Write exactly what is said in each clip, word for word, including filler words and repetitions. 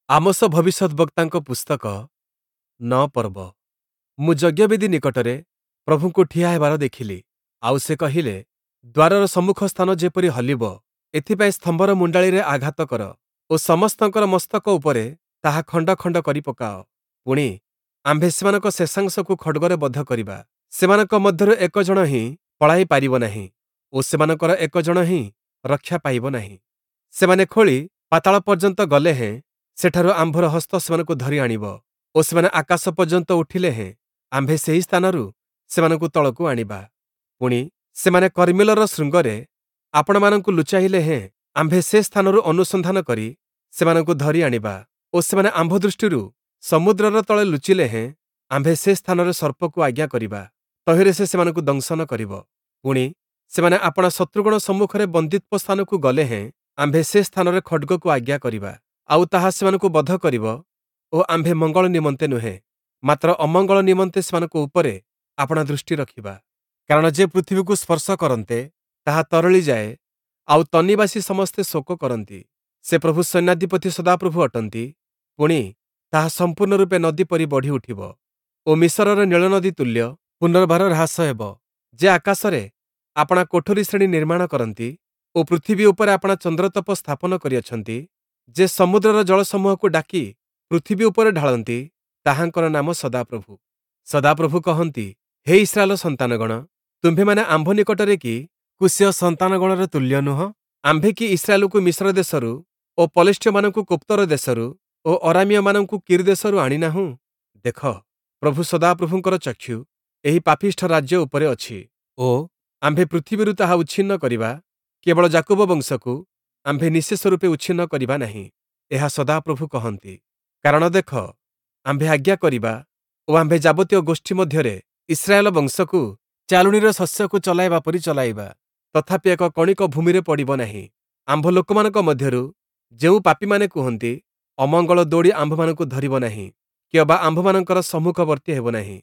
Amos ଭବିଷ୍ୟଦ୍‌ବକ୍ତାଙ୍କ ପୁସ୍ତକ ନଅ ପର୍ବ। ମୁଁ ଯଜ୍ଞବେଦି ନିକଟରେ ପ୍ରଭୁଙ୍କୁ ଠିଆ ହେବାର ଦେଖିଲି, ଆଉ ସେ କହିଲେ, ଦ୍ୱାରର ସମ୍ମୁଖ ସ୍ଥାନ ଯେପରି ହଲିବ, ଏଥିପାଇଁ ସ୍ତମ୍ଭର ମୁଣ୍ଡାଳିରେ ଆଘାତ କର ଓ ସମସ୍ତଙ୍କର ମସ୍ତକ ଉପରେ ତାହା ଖଣ୍ଡ ଖଣ୍ଡ କରି ପକାଅ। ପୁଣି, ଆମ୍ଭେ ସେମାନଙ୍କ ଶେଷାଂଶକୁ ଖଡ଼୍ଗରେ ବଧ କରିବା। ସେମାନଙ୍କ ମଧ୍ୟରୁ ଏକ ଜଣ ହିଁ ପଳାଇ ପାରିବ ନାହିଁ ଓ ସେମାନଙ୍କର ଏକ ଜଣ ହିଁ ରକ୍ଷା ପାଇବ ନାହିଁ। ସେମାନେ ଖୋଳି ପାତାଳ ପର୍ଯ୍ୟନ୍ତ ଗଲେ ହେଁ ସେଠାରୁ ଆମ୍ଭର ହସ୍ତ ସେମାନଙ୍କୁ ଧରି ଆଣିବ ଓ ସେମାନେ ଆକାଶ ପର୍ଯ୍ୟନ୍ତ ଉଠିଲେ ହେଁ ଆମ୍ଭେ ସେହି ସ୍ଥାନରୁ ସେମାନଙ୍କୁ ତଳକୁ ଆଣିବା। ପୁଣି, ସେମାନେ କର୍ମିଲର ଶୃଙ୍ଗରେ ଆପଣାମାନଙ୍କୁ ଲୁଚାଇଲେ ହେଁ ଆମ୍ଭେ ସେ ସ୍ଥାନରୁ ଅନୁସନ୍ଧାନ କରି ସେମାନଙ୍କୁ ଧରି ଆଣିବା ଓ ସେମାନେ ଆମ୍ଭ ଦୃଷ୍ଟିରୁ ସମୁଦ୍ରର ତଳେ ଲୁଚିଲେ ହେଁ ଆମ୍ଭେ ସେ ସ୍ଥାନରେ ସର୍ପକୁ ଆଜ୍ଞା କରିବା, ତହିଁରେ ସେ ସେମାନଙ୍କୁ ଦଂଶନ କରିବ। ପୁଣି, ସେମାନେ ଆପଣା ଶତ୍ରୁଗଣ ସମ୍ମୁଖରେ ବନ୍ଦୀତ୍ୱ ସ୍ଥାନକୁ ଗଲେ ହେଁ ଆମ୍ଭେ ସେ ସ୍ଥାନରେ ଖଡ଼୍ଗକୁ ଆଜ୍ଞା କରିବା, ଆଉ ତାହା ସେମାନଙ୍କୁ ବଧ କରିବ ଓ ଆମ୍ଭେ ମଙ୍ଗଳ ନିମନ୍ତେ ନୁହେଁ, ମାତ୍ର ଅମଙ୍ଗଳ ନିମନ୍ତେ ସେମାନଙ୍କ ଉପରେ ଆପଣା ଦୃଷ୍ଟି ରଖିବା। କାରଣ ଯେ ପୃଥିବୀକୁ ସ୍ପର୍ଶ କରନ୍ତେ, ତାହା ତରଳିଯାଏ, ଆଉ ତନ୍ନିବାସୀ ସମସ୍ତେ ଶୋକ କରନ୍ତି। ସେ ପ୍ରଭୁ ସୈନ୍ୟାଧିପତି ସଦାପ୍ରଭୁ ଅଟନ୍ତି। ପୁଣି, ତାହା ସମ୍ପୂର୍ଣ୍ଣ ରୂପେ ନଦୀ ପରି ବଢ଼ି ଉଠିବ ଓ ମିଶରର ନୀଳନଦୀ ତୁଲ୍ୟ ପୁନର୍ବାର ହ୍ରାସ ହେବ। ଯେ ଆକାଶରେ ଆପଣା କୋଠରୀ ଶ୍ରେଣୀ ନିର୍ମାଣ କରନ୍ତି ଓ ପୃଥିବୀ ଉପରେ ଆପଣା ଚନ୍ଦ୍ରତପ ସ୍ଥାପନ କରିଅଛନ୍ତି, ଯେ ସମୁଦ୍ରର ଜଳସମୂହକୁ ଡାକି ପୃଥିବୀ ଉପରେ ଢାଳନ୍ତି, ତାହାଙ୍କର ନାମ ସଦାପ୍ରଭୁ। ସଦାପ୍ରଭୁ କହନ୍ତି, ହେ ଇସ୍ରାଏଲ ସନ୍ତାନଗଣ, ତୁମ୍ଭେମାନେ ଆମ୍ଭ ନିକଟରେ କି କୁଶୀୟ ସନ୍ତାନଗଣର ତୁଲ୍ୟ ନୁହଁ? ଆମ୍ଭେ କି ଇସ୍ରାଏଲକୁ ମିଶର ଦେଶରୁ ଓ ପଲେଷ୍ଟୀୟମାନଙ୍କୁ କୋପ୍ତର ଦେଶରୁ ଓ ଅରାମୀୟମାନଙ୍କୁ କୀର୍ ଦେଶରୁ ଆଣିନାହୁଁ? ଦେଖ, ପ୍ରଭୁ ସଦାପ୍ରଭୁଙ୍କର ଚକ୍ଷୁ ଏହି ପାପିଷ୍ଠ ରାଜ୍ୟ ଉପରେ ଅଛି ଓ ଆମ୍ଭେ ପୃଥିବୀରୁ ତାହା ଉଚ୍ଛିନ୍ନ କରିବା, କେବଳ ଯାକୁବ ବଂଶକୁ ଆମ୍ଭେ ନିଃଶେଷ ରୂପେ ଉଚ୍ଛିନ୍ନ କରିବା ନାହିଁ। ଏହା ସଦାପ୍ରଭୁ କହନ୍ତି। କାରଣ ଦେଖ, ଆମ୍ଭେ ଆଜ୍ଞା କରିବା ଓ ଆମ୍ଭେ ଯାବତୀୟ ଗୋଷ୍ଠୀ ମଧ୍ୟରେ ଇସ୍ରାଏଲ ବଂଶକୁ ଚାଲୁଣୀର ଶସ୍ୟକୁ ଚଲାଇବା ପରି ଚଲାଇବା, ତଥାପି ଏକ କଣିକ ଭୂମିରେ ପଡ଼ିବ ନାହିଁ। ଆମ୍ଭ ଲୋକମାନଙ୍କ ମଧ୍ୟରୁ ଯେଉଁ ପାପୀମାନେ କୁହନ୍ତି, ଅମଙ୍ଗଳ ଦୌଡ଼ି ଆମ୍ଭମାନଙ୍କୁ ଧରିବ ନାହିଁ, କିଅବା ଆମ୍ଭମାନଙ୍କର ସମ୍ମୁଖବର୍ତ୍ତୀ ହେବ ନାହିଁ,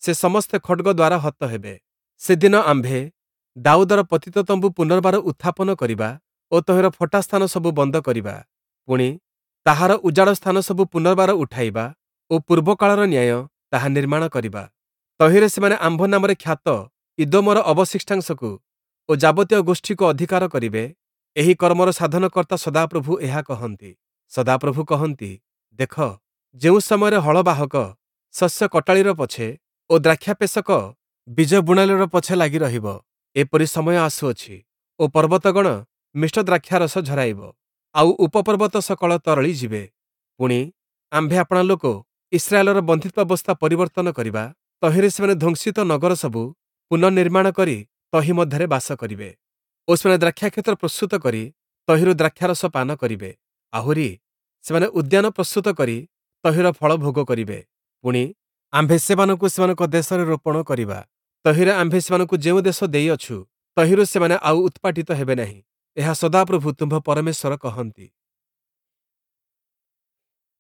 ସେ ସମସ୍ତେ ଖଡ଼୍ଗ ଦ୍ୱାରା ହତ ହେବେ। ସେଦିନ ଆମ୍ଭେ ଦାଉଦର ପତିତ ତମ୍ବୁ ପୁନର୍ବାର ଉତ୍ଥାପନ କରିବା ଓ ତହିଁର ଫଟା ସ୍ଥାନ ସବୁ ବନ୍ଦ କରିବା। ପୁଣି, ତାହାର ଉଜାଡ଼ ସ୍ଥାନ ସବୁ ପୁନର୍ବାର ଉଠାଇବା ଓ ପୂର୍ବକାଳର ନ୍ୟାୟ ତାହା ନିର୍ମାଣ କରିବା। ତହିଁରେ ସେମାନେ ଆମ୍ଭ ନାମରେ ଖ୍ୟାତ ଇଦୋମର ଅବଶିଷ୍ଟାଂଶକୁ ଓ ଯାବତୀୟ ଗୋଷ୍ଠୀକୁ ଅଧିକାର କରିବେ। ଏହି କର୍ମର ସାଧନକର୍ତ୍ତା ସଦାପ୍ରଭୁ ଏହା କହନ୍ତି। ସଦାପ୍ରଭୁ କହନ୍ତି, ଦେଖ, ଯେଉଁ ସମୟରେ ହଳବାହକ ଶସ୍ୟ କଟାଳିର ପଛେ ଓ ଦ୍ରାକ୍ଷାପେଷକ ବୀଜ ବୁଣାଳିର ପଛେ ଲାଗି ରହିବ, ଏପରି ସମୟ ଆସୁଅଛି ଓ ପର୍ବତଗଣ ମିଷ୍ଟ ଦ୍ରାକ୍ଷାରସ ଝରାଇବ, ଆଉ ଉପପର୍ବତ ସକଳ ତରଳି ଯିବେ। ପୁଣି, ଆମ୍ଭେ ଆପଣା ଲୋକ ଇସ୍ରାଏଲର ବନ୍ଦିତ୍ୱାବସ୍ଥା ପରିବର୍ତ୍ତନ କରିବା, ତହିଁରେ ସେମାନେ ଧ୍ୱଂସିତ ନଗର ସବୁ ପୁନଃନିର୍ମାଣ କରି ତହିଁ ମଧ୍ୟରେ ବାସ କରିବେ ଓ ସେମାନେ ଦ୍ରାକ୍ଷାକ୍ଷେତ୍ର ପ୍ରସ୍ତୁତ କରି ତହିଁରୁ ଦ୍ରାକ୍ଷାରସ ପାନ କରିବେ। ଆହୁରି, ସେମାନେ ଉଦ୍ୟାନ ପ୍ରସ୍ତୁତ କରି ତହିଁର ଫଳ ଭୋଗ କରିବେ। ପୁଣି, ଆମ୍ଭେ ସେମାନଙ୍କୁ ସେମାନଙ୍କ ଦେଶରେ ରୋପଣ କରିବା, ତହିଁରେ ଆମ୍ଭେ ସେମାନଙ୍କୁ ଯେଉଁ ଦେଶ ଦେଇଅଛୁ, ତହିଁରୁ ସେମାନେ ଆଉ ଉତ୍ପାଟିତ ହେବେ ନାହିଁ। ଏହା ସଦାପ୍ରଭୁ ତୁମ୍ଭ ପରମେଶ୍ୱର କହନ୍ତି।